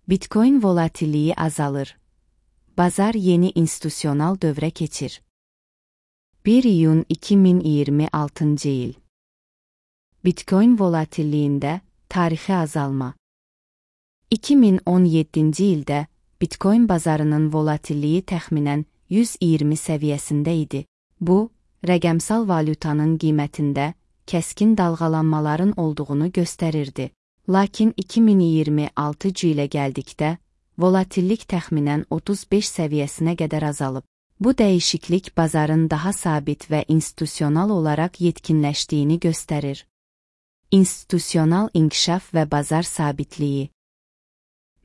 Bitcoin volatilliyi azalır. Bazar yeni institusyonal dövrə keçir. 1 iyun 2026 il. Bitcoin volatilliyində tarixi azalma. 2017 ildə Bitcoin bazarının volatilliyi təxminən 120 səviyyəsində idi. Bu, rəqəmsal valyutanın qiymətində kəskin dalğalanmaların olduğunu göstərirdi. Lakin 2026 ilə gəldikdə, volatillik təxminən 35 səviyyəsinə qədər azalıb. Bu dəyişiklik bazarın daha sabit və institusional olaraq yetkinləşdiyini göstərir. İnstitusional inkişaf və bazar sabitliyi.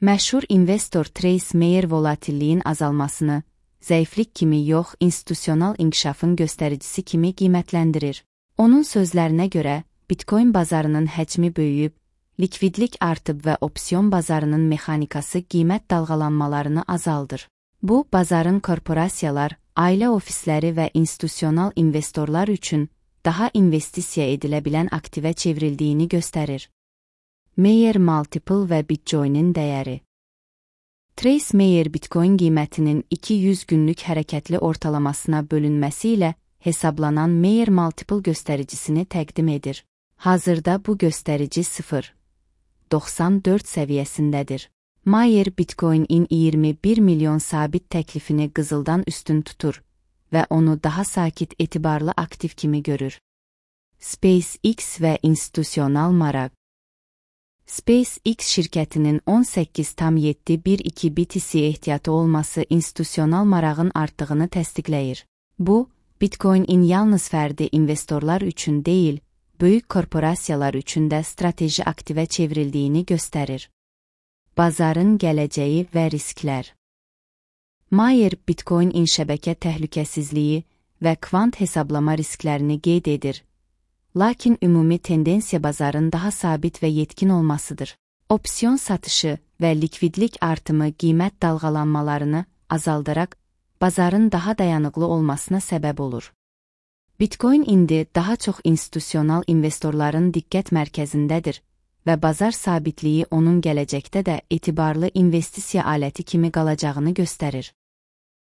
Məşhur investor Trace Mayer volatilliyin azalmasını zəiflik kimi yox, institusional inkişafın göstəricisi kimi qiymətləndirir. Onun sözlərinə görə, Bitcoin bazarının həcmi böyüyüb, likvidlik artıb və opsiyon bazarının mexanikası qiymət dalğalanmalarını azaldır. Bu, bazarın korporasiyalar, ailə ofisləri və institusional investorlar üçün daha investisiya edilə bilən aktivə çevrildiyini göstərir. Mayer Multiple və Bitcoin'in dəyəri. Trace Mayer Bitcoin qiymətinin 200 günlük hərəkətli ortalamasına bölünməsi ilə hesablanan Mayer Multiple göstəricisini təqdim edir. Hazırda bu göstərici 0,94 səviyyəsindədir. Mayer Bitcoin-in 21 milyon sabit təklifini qızıldan üstün tutur və onu daha sakit etibarlı aktiv kimi görür. SpaceX və institusional maraq. SpaceX şirkətinin 18,712 BTC ehtiyatı olması institusional marağın artdığını təsdiqləyir. Bu, Bitcoin-in yalnız fərdi investorlar üçün deyil, böyük korporasiyalar üçün də strateji aktivə çevrildiyini göstərir. Bazarın gələcəyi və risklər. Mayer Bitcoin-in şəbəkə təhlükəsizliyi və kvant hesablama risklərini qeyd edir. Lakin ümumi tendensiya bazarın daha sabit və yetkin olmasıdır. Opsiyon satışı və likvidlik artımı qiymət dalğalanmalarını azaldaraq, bazarın daha dayanıqlı olmasına səbəb olur. Bitcoin indi daha çox institusional investorların diqqət mərkəzindədir və bazar sabitliyi onun gələcəkdə də etibarlı investisiya aləti kimi qalacağını göstərir.